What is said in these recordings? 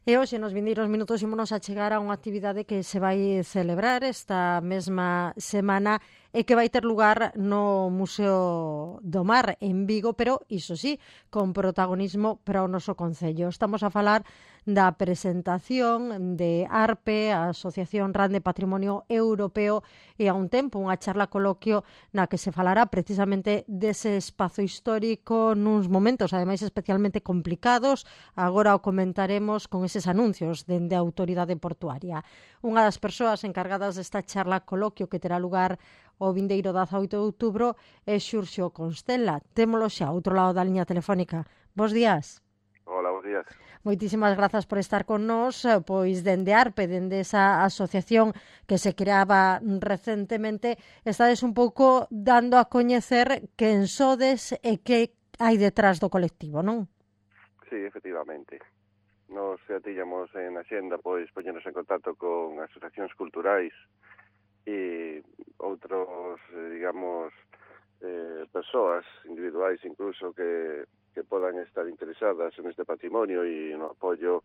E hoxe nos vindeiros minutos ímonos a chegar a unha actividade que se vai celebrar esta mesma semana e que vai ter lugar no Museo do Mar en Vigo, pero iso sí, con protagonismo para o noso concello. Estamos a falar da presentación de ARPE, a Asociación RAN de Patrimonio Europeo, e a un tempo unha charla coloquio na que se falará precisamente dese espazo histórico nuns momentos, ademais, especialmente complicados. Agora o comentaremos con eses anuncios dende a Autoridade Portuaria. Unha das persoas encargadas desta charla coloquio que terá lugar o vindeiro 18 de outubro é Xurxo Constela. Témolo xa ao outro lado da liña telefónica. Bos días. Hola, bos días. Moitísimas grazas por estar con nós, pois dende ARPE, dende esa asociación que se creaba recentemente, estades un pouco dando a coñecer quen sodes e que hai detrás do colectivo, non? Sí, efectivamente. Nos xa tiñamos en Hacienda, pois, poñernos en contacto con asociacións culturais e outros, digamos, persoas individuais incluso que podan estar interesadas en este patrimonio e no apoio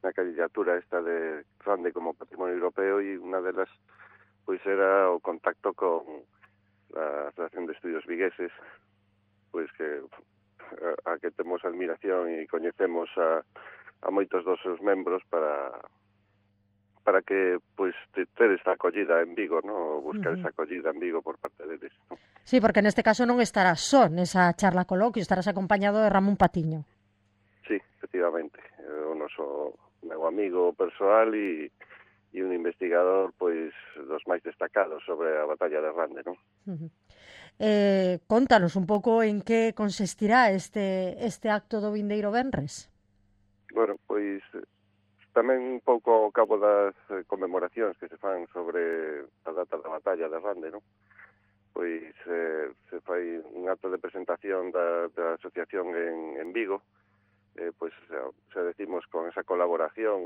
na candidatura esta de Rande como patrimonio europeo, e unha delas pois era o contacto con a Asociación de Estudios Vigueses, pois que a que temos admiración e coñecemos a moitos dos seus membros para que pois ter esta acollida en Vigo, no? Buscar esa acollida en Vigo por parte deles, no? Sí, porque neste caso non estarás só nesa charla coloquio, estarás acompañado de Ramón Patiño. Sí, efectivamente, o noso meu amigo persoal e un investigador pois dos máis destacados sobre a batalla de Rande, non? Contanos un pouco en que consistirá este acto do vindeiro venres. Bueno, pois tamén un pouco ao cabo das conmemoracións que se fan sobre a data da batalla de Rande, non? Pois se fai un acto de presentación da asociación en Vigo, pois se decimos con esa colaboración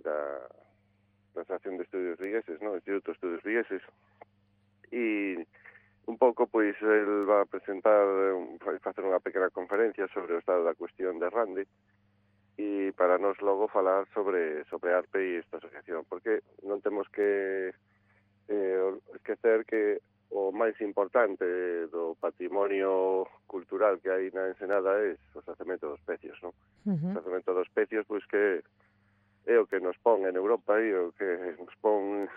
da Asociación de Estudios Vigueses, non? Instituto de Estudios Vigueses, e un pouco pois el va a presentar, facer unha pequena conferencia sobre o estado da cuestión de Rande, e para nós logo falar sobre ARPE e esta asociación, porque non temos que esquecer que o máis importante do patrimonio cultural que hai na Ensenada é o xacemento dos pecios, non? O xacemento dos pecios, pois que é o que nos pon en Europa e o que nos pon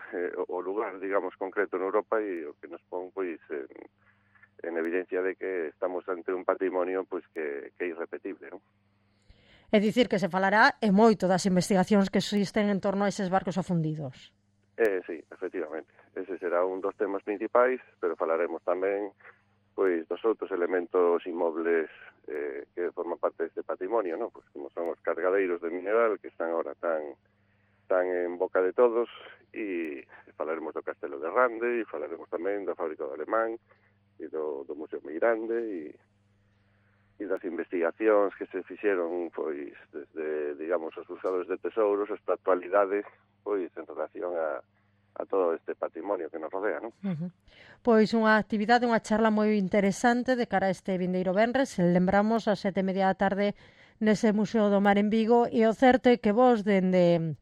o lugar, digamos, concreto en Europa, e o que nos pon, pois, en evidencia de que estamos ante un patrimonio, pois, que é irrepetible, non? É dicir que se falará e moito das investigacións que existen en torno a eses barcos afundidos. Sí, efectivamente. Ese será un dos temas principais, pero falaremos tamén pois dos outros elementos inmobles que forman parte deste patrimonio, non? Pois como son os cargadeiros de mineral que están agora tan en boca de todos, e falaremos do Castelo de Rande, e falaremos tamén da fábrica do Alemán e do Museo moi grande, e das investigacións que se fixeron pois desde, digamos, os buscadores de tesouros hasta a actualidade, pois en relación a todo este patrimonio que nos rodea, non? Pois unha actividade, unha charla moi interesante de cara a este vindeiro venres. Lembramos a 7:30 da tarde nese Museo do Mar en Vigo, e o certo é que vos dende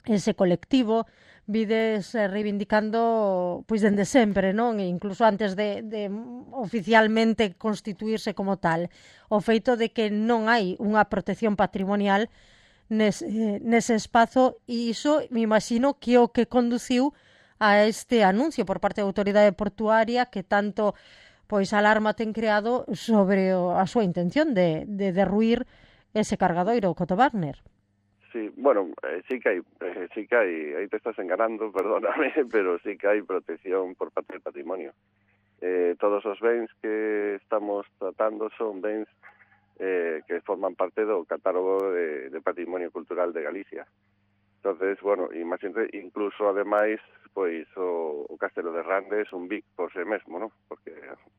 ese colectivo vides reivindicando pois dende sempre, non? E incluso antes de oficialmente constituirse como tal, o feito de que non hai unha protección patrimonial nese espazo, e iso me imagino que o que conduciu a este anuncio por parte da Autoridade Portuaria que tanto pois alarma ten creado sobre a súa intención de derruir ese cargadoiro Coto Wagner. Sí, bueno, sí que hai, aí te estás enganando, perdóname, pero sí que hai protección por parte del patrimonio. Todos os bens que estamos tratando son bens que forman parte do catálogo de patrimonio cultural de Galicia. Entonces, bueno, imagínate, incluso ademais, pois o Castelo de Rande é un BIC por sí mesmo, non? Porque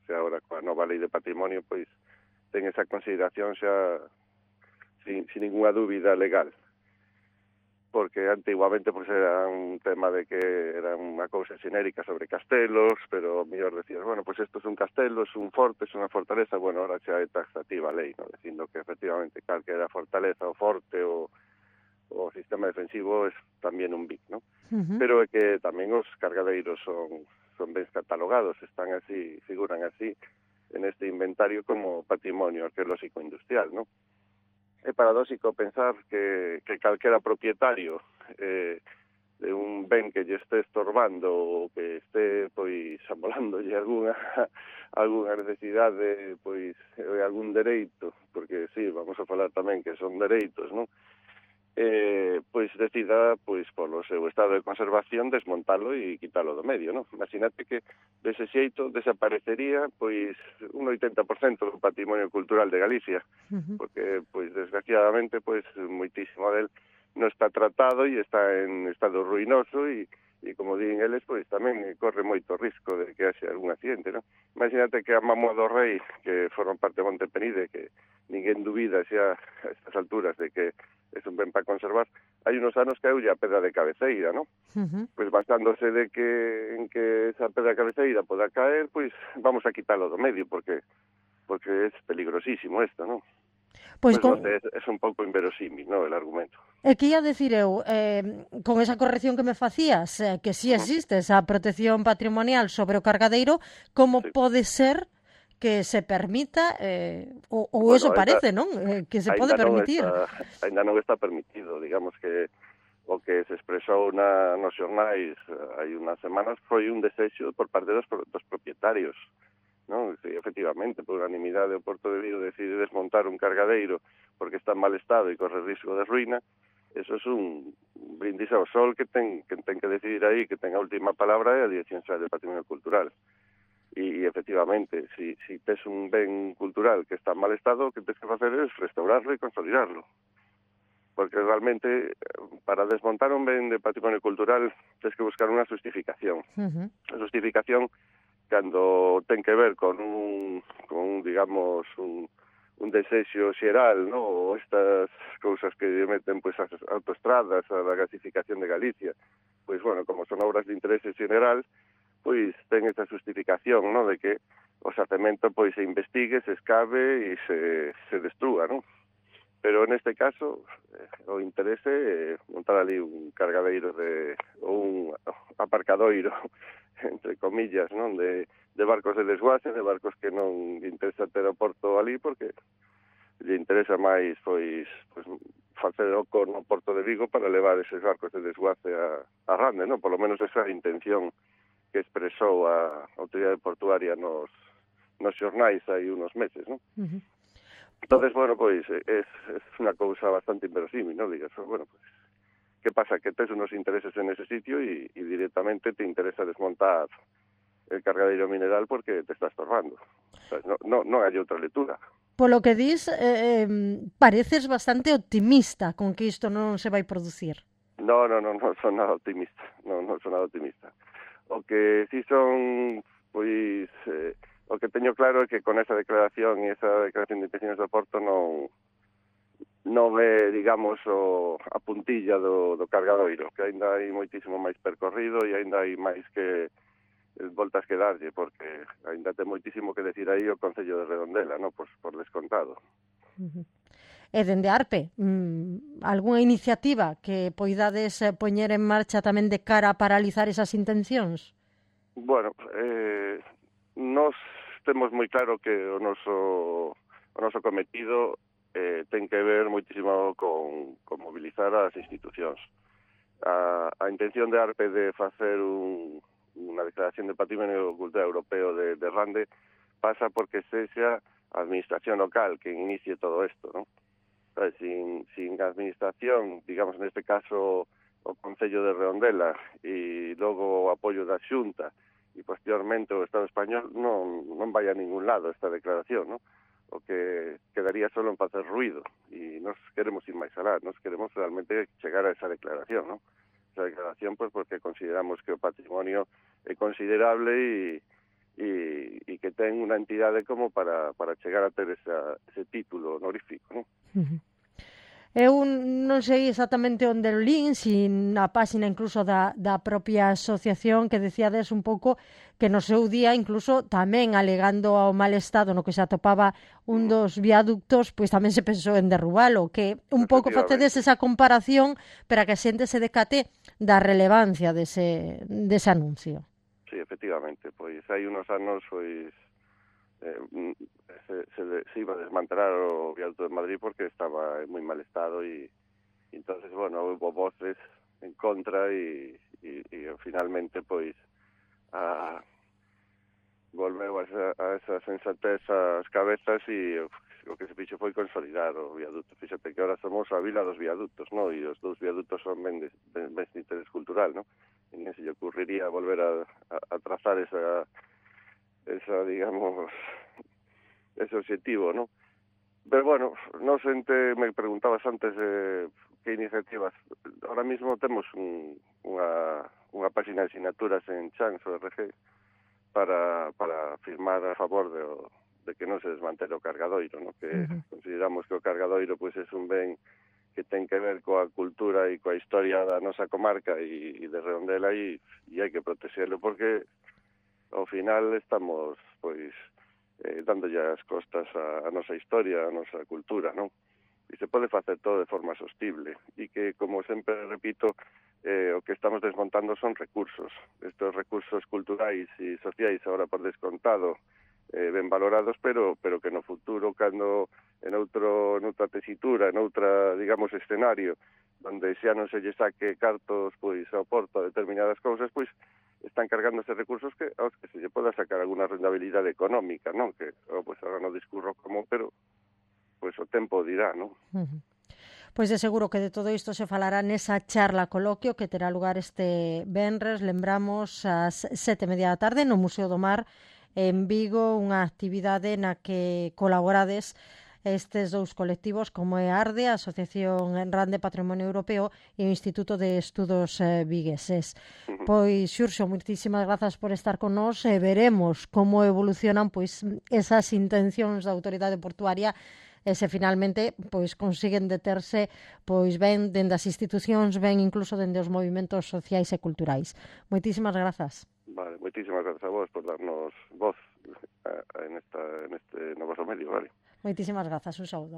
xa agora coa nova lei de patrimonio, pois ten esa consideración xa sin ninguna dúbida legal. Porque antiguamente pois era un tema de que era unha cousa xenérica sobre castelos, pero mellor decías, bueno, pois isto é un castelo, é un forte, é unha fortaleza, bueno, ahora xa é taxativa a lei, non? Dicindo que efectivamente calquera fortaleza ou forte ou o sistema defensivo é tamén un BIC, non? Uh-huh. Pero é que tamén os cargadeiros son bens catalogados, están así, figuran así en este inventario como patrimonio arqueolóxico industrial, non? É paradóxico pensar que calquera propietario de un ben que lle este estorbando ou que este pois amolándolle algunha necesidade, pois algún dereito, porque sí, vamos a falar tamén que son dereitos, non? Pois decida, pois polo seu estado de conservación, desmontalo e quitalo do medio, non? Imagínate que dese xeito desaparecería pois un 80% do patrimonio cultural de Galicia, porque pois desgraciadamente pois moitísimo del non está tratado e está en estado ruinoso e como din eles, pois tamén corre moito risco de que haxe algún accidente, non? Imagínate que a Mamoa do Rei, que forman parte de Monte Penide, que ninguén dubida xa a estas alturas de que é un ben para conservar, hai unos anos que a pedra de cabeceira, non? Pois basándose de que en que esa pedra de cabeceira poda caer, pois vamos a quitalo do medio, porque é peligrosísimo isto, non? Pois non sei, é un pouco inverosímil, non, el argumento. E que ia decir eu, con esa corrección que me facías, que si existe esa protección patrimonial sobre o cargadeiro, como pode ser que se permita, ou bueno, eso parece, non? Que se pode permitir. Ainda non está permitido, digamos que o que se expresou nos xornais hai unhas semanas foi un desexo por parte dos propietarios, non? Sí, efectivamente, por unanimidade o Porto de Vigo decide desmontar un cargadeiro porque está en mal estado e corre risco de ruína. Eso é un brindis ao sol que ten que decidir aí, que ten a última palabra é a Dirección Xeral de Patrimonio Cultural. E efectivamente, si tes un ben cultural que está en mal estado, o que tens que facer é restaurarlo e consolidarlo. Porque realmente, para desmontar un ben de patrimonio cultural, tens que buscar unha justificación. A justificación, cando ten que ver con digamos, un desexo xeral, ¿no? Ou estas cousas que meten pois as autoestradas, a da gasificación de Galicia, pois, bueno, como son obras de interese xeral, pois ten esa justificación, ¿no? De que o xacemento pois se investigue, se escabe e se destrúa, ¿no? Pero neste caso o interese é montar ali un cargadeiro ou un aparcadoiro, entre comillas, non? De barcos de desguace, de barcos que non lle interesa ter o porto ali porque lle interesa máis pois facer o no Porto de Vigo para levar eses barcos de desguace a Rande, non? Por lo menos esa intención que expresou a autoridade portuaria nos xornais hai unos meses, non? Entonces, bueno, pois é unha cousa bastante inverosímil, non? Digas, bueno, pois que pasa? Que tes unos intereses en ese sitio e directamente te interesa desmontar el cargadeiro mineral porque te está estorbando. O sea, non hai outra lectura. Polo que dis, pareces bastante optimista con que isto non se vai producir. Non son nada optimista. Non son nada optimista. O que si son, pois, o que teño claro é que con esa declaración e esa declaración de intenciones do Porto non é, digamos, a puntilla do cargadoiro, que aínda hai moitísimo máis percorrido e aínda hai máis que voltas que darlle, porque aínda ten moitísimo que decir aí o Concello de Redondela, non? Por descontado. E dende Arpe, algunha iniciativa que poidades poñer en marcha tamén de cara a paralizar esas intencións? Bueno, nós temos moi claro que o noso cometido ten que ver moitísimo con mobilizar as institucións. A intención de Arpe de facer unha declaración de patrimonio cultural europeo de Rande pasa porque sexa a administración local que inicie todo isto, non? Sin a administración, digamos, neste caso o Concello de Redondela e logo o apoio da Xunta e posteriormente o Estado español non vai a ningún lado esta declaración, non? O que quedaría solo en facer ruido e nos queremos ir máis alá, nos queremos realmente chegar a esa declaración, non? Esa declaración, pues, porque consideramos que o patrimonio é considerable e que ten unha entidade como para chegar a ter ese título honorífico, non? Eu non sei exactamente onde o lin, sin a páxina incluso da propia asociación que decíades un pouco que no seu día incluso tamén alegando ao mal estado no que se atopaba un dos viaductos, pois tamén se pensou en derrubalo, que un pouco facedes esa comparación para que a xente se decate da relevancia dese anuncio. Sí, efectivamente, pois hai unos anos pois se iba a desmantelar o viaducto de Madrid porque estaba en moi mal estado e entonces, bueno, houve voces en contra e finalmente, pois, volveu a esa sensatez ás cabezas e o que se fixo foi consolidar o viaducto. Fíxate que ahora somos a vila dos viaductos, ¿no? E os dous viaductos son ben de interés cultural, ¿no? E non se lle ocurriría volver a trazar esa digamos, ese objetivo, ¿no? Pero bueno, no xente, me preguntabas antes que iniciativas. Ahora mismo temos unha página de asignaturas en Change.org para firmar a favor de que non se desmantele o cargadoiro, ¿no? Que consideramos que o cargadoiro pois é un ben que ten que ver coa cultura e coa historia da nosa comarca e de Redondela e hai que protexelo porque ao final estamos, pois, dándolle as costas a nosa historia, a nosa cultura, non? E se pode facer todo de forma sostible e que, como sempre repito, o que estamos desmontando son recursos. Estos recursos culturais e sociais, agora por descontado, ben valorados, pero que no futuro, cando en outra tesitura, en outra, digamos, escenario, onde xa non se lle saque cartos, pois, ao porto a determinadas cousas, pois, están cargándose recursos aos que se lle poda sacar alguna rentabilidade económica, non? Que, pois, agora non discurro como, pero pois o tempo dirá, non? Pois de seguro que de todo isto se falará nesa charla coloquio que terá lugar este venres, lembramos, ás 7:30 da tarde no Museo do Mar en Vigo, unha actividade na que colaborades estes dous colectivos como é ARDE, a Asociación RAN de Patrimonio Europeo e o Instituto de Estudos Vigueses. Pois, Xurxo, moitísimas grazas por estar con nós e veremos como evolucionan pois esas intencións da autoridade portuaria e se finalmente pois consiguen deterse pois ben dende as institucións, ben incluso dende os movimentos sociais e culturais. Moitísimas grazas. Vale, moitísimas grazas a vos por darnos voz en este novo medio, vale. Moitísimas grazas, un saúdo.